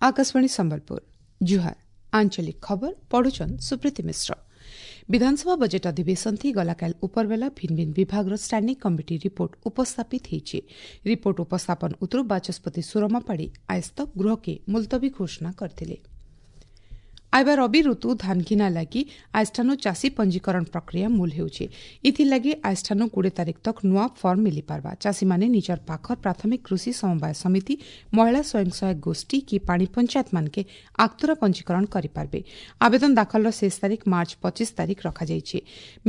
Akashvani Sambalpur ଜୁହାର, ଆଞ୍ଚଳିକ ଖବର ପଢୁଛନ୍ ସୁପ୍ରୀତି ମିଶ୍ର। ବିଧାନସଭା ବଜେଟ୍ ଅଧିବେଶନ ଥି ଗଲାକାଲି ଉପରବେଲା ଭିନ୍ନ ଭିନ୍ନ ବିଭାଗର ଷ୍ଟାଣ୍ଡିଂ କମିଟି ରିପୋର୍ଟ ଉପସ୍ଥାପିତ ହୋଇଛି। ରିପୋର୍ଟ ଉପସ୍ଥାପନ ଉତ୍ତରୁ ବାଚସ୍ପତି ସୁରମା ପାଢ଼ୀ ଆଏଜ ତକ୍ ଗୃହକେ ମୁଲତବୀ ଘୋଷଣା କରିଥିଲେ। ଆଇବା ରବି ଋତୁ ଧାନ ଘିନା ଲାଗି ଆଜଠାନୁ ଚାଷୀ ପଞ୍ଜୀକରଣ ପ୍ରକ୍ରିୟା ମୂଲ ହେଉଛି। ଏଥିଲାଗି ଆଜଠାନୁ 20 ତାରିଖ ତକ୍ ନୂଆ ଫର୍ମ ମିଳିପାରବା। ଚାଷୀମାନେ ନିଜର ପାଖର ପ୍ରାଥମିକ କୃଷି ସମବାୟ ସମିତି, ମହିଳା ସ୍ୱୟଂ ସହାୟକ ଗୋଷ୍ଠୀ କି ପାଣି ପଞ୍ଚାୟତ ମାନକେ ଆଗତୁରା ପଞ୍ଜୀକରଣ କରିପାରବେ। ଆବେଦନ ଦାଖଲର ଶେଷ ତାରିଖ ମାର୍ଚ୍ଚ 25 ତାରିଖ ରଖାଯାଇଛି।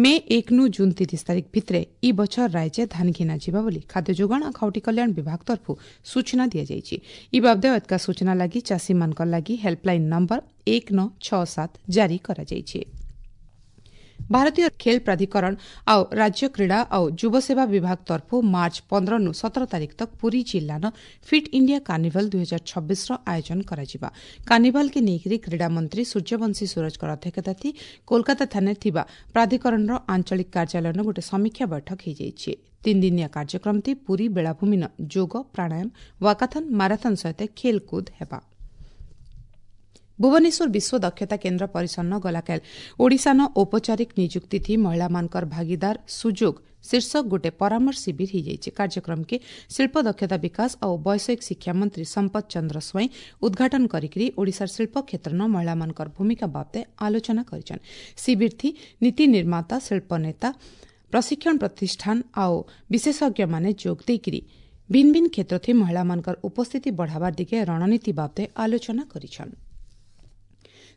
ମେ 1 ନୁ ଜୁନ୍ 30 ତାରିଖ ଭିତରେ ଇ ବଛର ରାଜ୍ୟ ଧାନ ଘିନା ଯିବା ବୋଲି ଖାଦ୍ୟ ଯୋଗାଣ ଓ ଖାଉଟି କଲ୍ୟାଣ ବିଭାଗ ତରଫରୁ ସୂଚନା ଦିଆଯାଇଛି। ଇ ବାବଦେ ଅଧିକା ସୂଚନା ଲାଗି ଚାଷୀମାନଙ୍କ ଲାଗି ହେଲ୍ପଲାଇନ୍ ନମ୍ବର 1967 ଜାରି କରାଯାଇଛି। ଭାରତୀୟ ଖେଳ ପ୍ରାଧିକରଣ ଆଉ ରାଜ୍ୟ କ୍ରୀଡ଼ା ଆଉ ଯୁବସେବା ବିଭାଗ ତରଫରୁ ମାର୍ଚ୍ଚ 15 ନୁ 17 ତାରିଖ ତକ୍ ପୁରୀ ଜିଲ୍ଲାନ ଫିଟ୍ ଇଣ୍ଡିଆ କାର୍ନିଭାଲ 2026ର ଆୟୋଜନ କରାଯିବା। କାର୍ନିଭାଲକେ ନେଇକରି କ୍ରୀଡ଼ା ମନ୍ତ୍ରୀ ସୂର୍ଯ୍ୟବଂଶୀ ସୂରଜଙ୍କର ଅଧ୍ୟକ୍ଷତା ଥି କୋଲକାତା ଥାନାରେ ଥିବା ପ୍ରାଧିକରଣର ଆଞ୍ଚଳିକ କାର୍ଯ୍ୟାଳୟନ ଗୋଟିଏ ସମୀକ୍ଷା ବୈଠକ ହୋଇଯାଇଛି। ତିନି ଦିନିଆ କାର୍ଯ୍ୟକ୍ରମ ଥି ପୁରୀ ବେଳାଭୂମିନ ଯୋଗ, ପ୍ରାଣାୟାମ, ୱାକାଥନ, ମାରାଥନ ସହିତ ଖେଳକୁଦ ହେବା। ଭୁବନେଶ୍ୱର ବିଶ୍ୱ ଦକ୍ଷତା କେନ୍ଦ୍ର ପରିସରନ ଗଲାକାଲି ଓଡ଼ିଶାନ ଔପଚାରିକ ନିଯୁକ୍ତି ଥି ମହିଳାମାନଙ୍କର ଭାଗିଦାର ସୁଯୋଗ ଶୀର୍ଷକ ଗୋଟିଏ ପରାମର୍ଶ ଶିବିର ହୋଇଯାଇଛି। କାର୍ଯ୍ୟକ୍ରମକେ ଶିଳ୍ପ ଦକ୍ଷତା ବିକାଶ ଓ ବୈଷୟିକ ଶିକ୍ଷା ମନ୍ତ୍ରୀ ସମ୍ପଦ ଚନ୍ଦ୍ର ସ୍ୱାଇଁ ଉଦ୍ଘାଟନ କରିକି ଓଡ଼ିଶାର ଶିଳ୍ପ କ୍ଷେତ୍ରନ ମହିଳାମାନଙ୍କର ଭୂମିକା ବାବଦେ ଆଲୋଚନା କରିଛନ୍। ଶିବିର ଥି ନୀତି ନିର୍ମାତା, ଶିଳ୍ପ ନେତା, ପ୍ରଶିକ୍ଷଣ ପ୍ରତିଷ୍ଠାନ ଆଉ ବିଶେଷଜ୍ଞମାନେ ଯୋଗ ଦେଇକରି ଭିନ୍ନ ଭିନ୍ନ କ୍ଷେତ୍ର ଥି ମହିଳାମାନଙ୍କର ଉପସ୍ଥିତି ବଢ଼ାବାର ଦିଗେ ରଣନୀତି ବାବଦେ ଆଲୋଚନା କରିଛନ୍।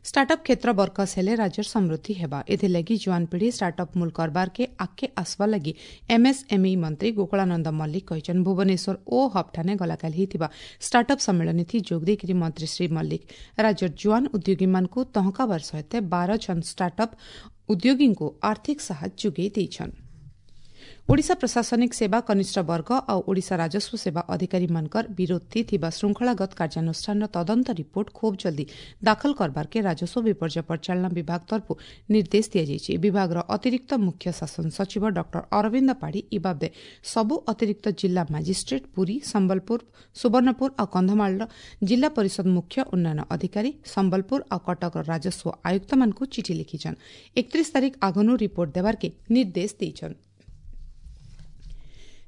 ଷ୍ଟାର୍ଟଅପ୍ କ୍ଷେତ୍ର ବରକସ ହେଲେ ରାଜ୍ୟର ସମୃଦ୍ଧି ହେବା। ଏଥିଲାଗି ଜୁଆନ ପିଢ଼ି ଷ୍ଟାର୍ଟଅପ୍ ମୂଲ କରବାରକେ ଆଗକେ ଆସବା ଲାଗି ଏମ୍ଏସ୍ଏମ୍ଇ ମନ୍ତ୍ରୀ ଗୋକୁଳାନନ୍ଦ ମଲ୍ଲିକ କହିଛନ୍। ଭୁବନେଶ୍ୱର ଓ ହବ୍ଠାନେ ଗଲାକାଲି ହୋଇଥିବା ଷ୍ଟାର୍ଟଅପ୍ ସମ୍ମିଳନୀ ଥି ଯୋଗ ଦେଇକରି ମନ୍ତ୍ରୀ ଶ୍ରୀ ମଲ୍ଲିକ ରାଜ୍ୟର ଜୁଆନ ଉଦ୍ୟୋଗୀମାନଙ୍କୁ ତହଁକାବାର ସହିତ 12 ଜଣ ଷ୍ଟାର୍ଟଅପ୍ ଉଦ୍ୟୋଗୀଙ୍କୁ ଆର୍ଥିକ ସାହାଯ୍ୟ ଯୋଗାଇ ଦେଇଛନ୍। ଓଡ଼ିଶା ପ୍ରଶାସନିକ ସେବା କନିଷ୍ଠ ବର୍ଗ ଆଉ ଓଡ଼ିଶା ରାଜସ୍ୱ ସେବା ଅଧିକାରୀମାନଙ୍କର ବିରୋଧୀ ଥିବା ଶୃଙ୍ଖଳାଗତ କାର୍ଯ୍ୟାନୁଷ୍ଠାନର ତଦନ୍ତ ରିପୋର୍ଟ ଖୁବ୍ ଜଲ୍ଦି ଦାଖଲ କରବାରକେ ରାଜସ୍ୱ ବିପର୍ଯ୍ୟୟ ପରିଚାଳନା ବିଭାଗ ତରଫରୁ ନିର୍ଦ୍ଦେଶ ଦିଆଯାଇଛି। ବିଭାଗର ଅତିରିକ୍ତ ମୁଖ୍ୟ ଶାସନ ସଚିବ ଡକ୍ଟର ଅରବିନ୍ଦ ପାଢ଼ୀ ଇ ବାବଦେ ସବୁ ଅତିରିକ୍ତ ଜିଲ୍ଲା ମାଜିଷ୍ଟ୍ରେଟ୍, ପୁରୀ, ସମ୍ବଲପୁର, ସୁବର୍ଣ୍ଣପୁର ଆଉ କନ୍ଧମାଳର ଜିଲ୍ଲା ପରିଷଦ ମୁଖ୍ୟ ଉନ୍ନୟନ ଅଧିକାରୀ, ସମ୍ବଲପୁର ଆଉ କଟକର ରାଜସ୍ୱ ଆୟୁକ୍ତମାନଙ୍କୁ ଚିଠି ଲେଖିଛନ୍। 31 ତାରିଖ ଆଗନୁ ରିପୋର୍ଟ ଦେବାରକେ ନିର୍ଦ୍ଦେଶ ଦେଇଛନ୍।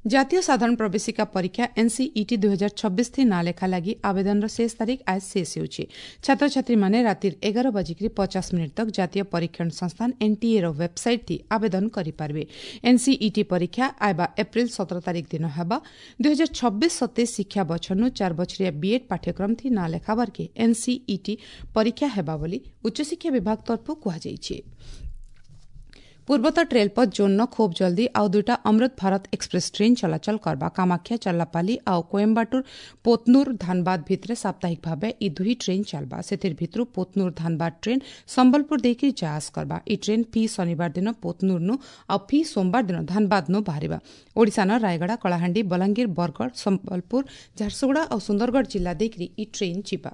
ଜାତୀୟ ସାଧାରଣ ପ୍ରବେଶିକା ପରୀକ୍ଷା ଏନ୍ସିଇଟି 2026 ଥି ନାଁ ଲେଖା ଲାଗି ଆବେଦନର ଶେଷ ତାରିଖ ଆଜ ଶେଷ ହେଉଛି। ଛାତ୍ରଛାତ୍ରୀମାନେ ରାତିର 11:50 ତକ୍ ଜାତୀୟ ପରୀକ୍ଷଣ ସଂସ୍ଥାନ ଏନ୍ଟିଏର ୱେବ୍ସାଇଟ୍ ଥି ଆବେଦନ କରିପାରିବେ। ଏନ୍ସିଇଟି ପରୀକ୍ଷା ଆଇବା ଏପ୍ରିଲ 17 ତାରିଖ ଦିନ ହେବା। 2026-27 ଶିକ୍ଷା ବଛରନୁ 4 ବଛରିଆ ବିଏଡ୍ ପାଠ୍ୟକ୍ରମ ଥି ନାଁ ଲେଖାବାରକେ ଏନ୍ସିଇଟି ପରୀକ୍ଷା ହେବା ବୋଲି ଉଚ୍ଚଶିକ୍ଷା ବିଭାଗ ତରଫରୁ କୁହାଯାଇଛି। ପୂର୍ବତଟ ରେଳପଥ ଜୋନ୍ନ ଖୁବ୍ ଜଲ୍ଦି ଆଉ ଦୁଇଟା ଅମୃତ ଭାରତ ଏକ୍ସପ୍ରେସ୍ ଟ୍ରେନ୍ ଚଳାଚଳ କରବା। କାମାକ୍ଷା ଚଲ୍ଲାପାଲି ଆଉ କୋଏମ୍ବାଟୁର ପୋତନୁର ଧାନବାଦ ଭିତରେ ସାପ୍ତାହିକ ଭାବେ ଇ ଦୁହି ଟ୍ରେନ୍ ଚାଲବା। ସେଥିର ଭିତରୁ ପୋତନୁର ଧାନବାଦ ଟ୍ରେନ୍ ସମ୍ବଲପୁର ଦେଇକି ଯାଆସ କରବା। ଇ ଟ୍ରେନ୍ ଫି ଶନିବାର ଦିନ ପୋତନୁରନୁ ଆଉ ଫି ସୋମବାର ଦିନ ଧାନବାଦନୁ ବାହାରିବା। ଓଡ଼ିଶାନ ରାୟଗଡ଼ା, କଳାହାଣ୍ଡି, ବଲାଙ୍ଗୀର, ବରଗଡ଼, ସମ୍ବଲପୁର, ଝାରସୁଗୁଡ଼ା ଆଉ ସୁନ୍ଦରଗଡ଼ ଜିଲ୍ଲା ଦେଇକରି ଇ ଟ୍ରେନ୍ ଯିବା।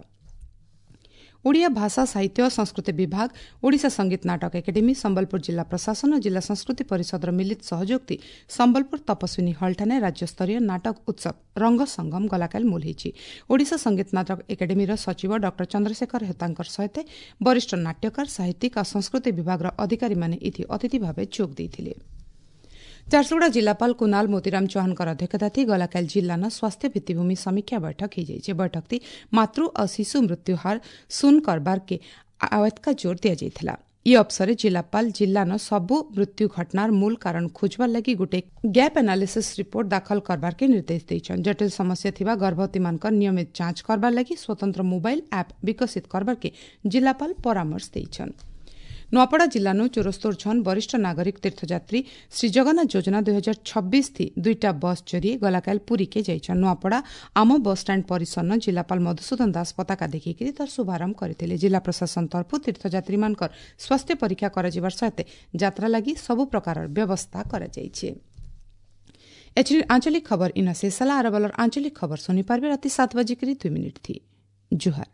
ଓଡ଼ିଆ ଭାଷା ସାହିତ୍ୟ ଓ ସଂସ୍କୃତି ବିଭାଗ, ଓଡ଼ିଶା ସଙ୍ଗୀତ ନାଟକ ଏକାଡେମୀ, ସମ୍ବଲପୁର ଜିଲ୍ଲା ପ୍ରଶାସନ ଓ ଜିଲ୍ଲା ସଂସ୍କୃତି ପରିଷଦର ମିଳିତ ସହଯୋଗ ସମ୍ବଲପୁର ତପସ୍ୱିନୀ ହଲ୍ଠାରେ ରାଜ୍ୟସ୍ତରୀୟ ନାଟକ ଉତ୍ସବ ରଙ୍ଗ ସଙ୍ଗମ ଗଲାକାଲି ମୂଲ ହୋଇଛି। ଓଡ଼ିଶା ସଙ୍ଗୀତ ନାଟକ ଏକାଡେମୀର ସଚିବ ଡକ୍ଟର ଚନ୍ଦ୍ରଶେଖର ହେତାଙ୍କର ସହିତ ବରିଷ୍ଠ ନାଟ୍ୟକାର, ସାହିତ୍ୟିକ ଓ ସଂସ୍କୃତି ବିଭାଗର ଅଧିକାରୀମାନେ ଏଥି ଅତିଥି ଭାବେ ଯୋଗ ଦେଇଥିଲେ। ଝାରସୁଗୁଡ଼ା ଜିଲ୍ଲାପାଳ କୁନାଲ ମୋତିରାମ ଚୌହାନଙ୍କର ଅଧ୍ୟକ୍ଷତା ଥି ଗଲାକାଲି ଜିଲ୍ଲାନ ସ୍ୱାସ୍ଥ୍ୟ ଭିତ୍ତିଭୂମି ସମୀକ୍ଷା ବୈଠକ ହୋଇଯାଇଛି। ବୈଠକଟି ମାତୃ ଓ ଶିଶୁ ମୃତ୍ୟୁହାର ଶୂନ କରବାରକେ ଆୱତକା ଜୋର ଦିଆଯାଇଥିଲା। ଇ ଅବସରରେ ଜିଲ୍ଲାପାଳ ଜିଲ୍ଲାନ ସବୁ ମୃତ୍ୟୁ ଘଟଣାର ମୂଳ କାରଣ ଖୋଜବାର ଲାଗି ଗୋଟେ ଗ୍ୟାପ୍ ଆନାଲିସିସ୍ ରିପୋର୍ଟ ଦାଖଲ କରବାରକେ ନିର୍ଦ୍ଦେଶ ଦେଇଛନ୍। ଜଟିଳ ସମସ୍ୟା ଥିବା ଗର୍ଭବତୀମାନଙ୍କର ନିୟମିତ ଯାଞ୍ଚ କରବାର ଲାଗି ସ୍ୱତନ୍ତ୍ର ମୋବାଇଲ ଆପ୍ ବିକଶିତ କରବାରକେ ଜିଲ୍ଲାପାଳ ପରାମର୍ଶ ଦେଇଛନ୍। ନୂଆପଡ଼ା ଜିଲ୍ଲାନୁ 74 ଜଣ ବରିଷ୍ଠ ନାଗରିକ ତୀର୍ଥଯାତ୍ରୀ ଶ୍ରୀଜଗନ୍ନାଥ ଯୋଜନା 2026 ଥି ଦୁଇଟା ବସ୍ ଜରିଏ ଗଲାକାଲି ପୁରୀକେ ଯାଇଛନ୍। ନୂଆପଡ଼ା ଆମ ବସ୍ଷ୍ଟାଣ୍ଡ ପରିସରନ ଜିଲ୍ଲାପାଳ ମଧୁସୂଦନ ଦାସ ପତାକା ଦେଖେଇକରି ତାର ଶୁଭାରମ୍ଭ କରିଥିଲେ। ଜିଲ୍ଲା ପ୍ରଶାସନ ତରଫରୁ ତୀର୍ଥଯାତ୍ରୀମାନଙ୍କର ସ୍ୱାସ୍ଥ୍ୟ ପରୀକ୍ଷା କରାଯିବାର ସହିତ ଯାତ୍ରା ଲାଗି ସବୁ ପ୍ରକାରର ବ୍ୟବସ୍ଥା କରାଯାଇଛି। ଏଥିରେ ଆଞ୍ଚଳିକ ଖବର ଇନ ଶେଷ ହେଲା। ଆରବଲର ଆଞ୍ଚଳିକ ଖବର ଶୁଣିପାରିବେ ରାତି 7:02 ଥି। ଜୁହାର।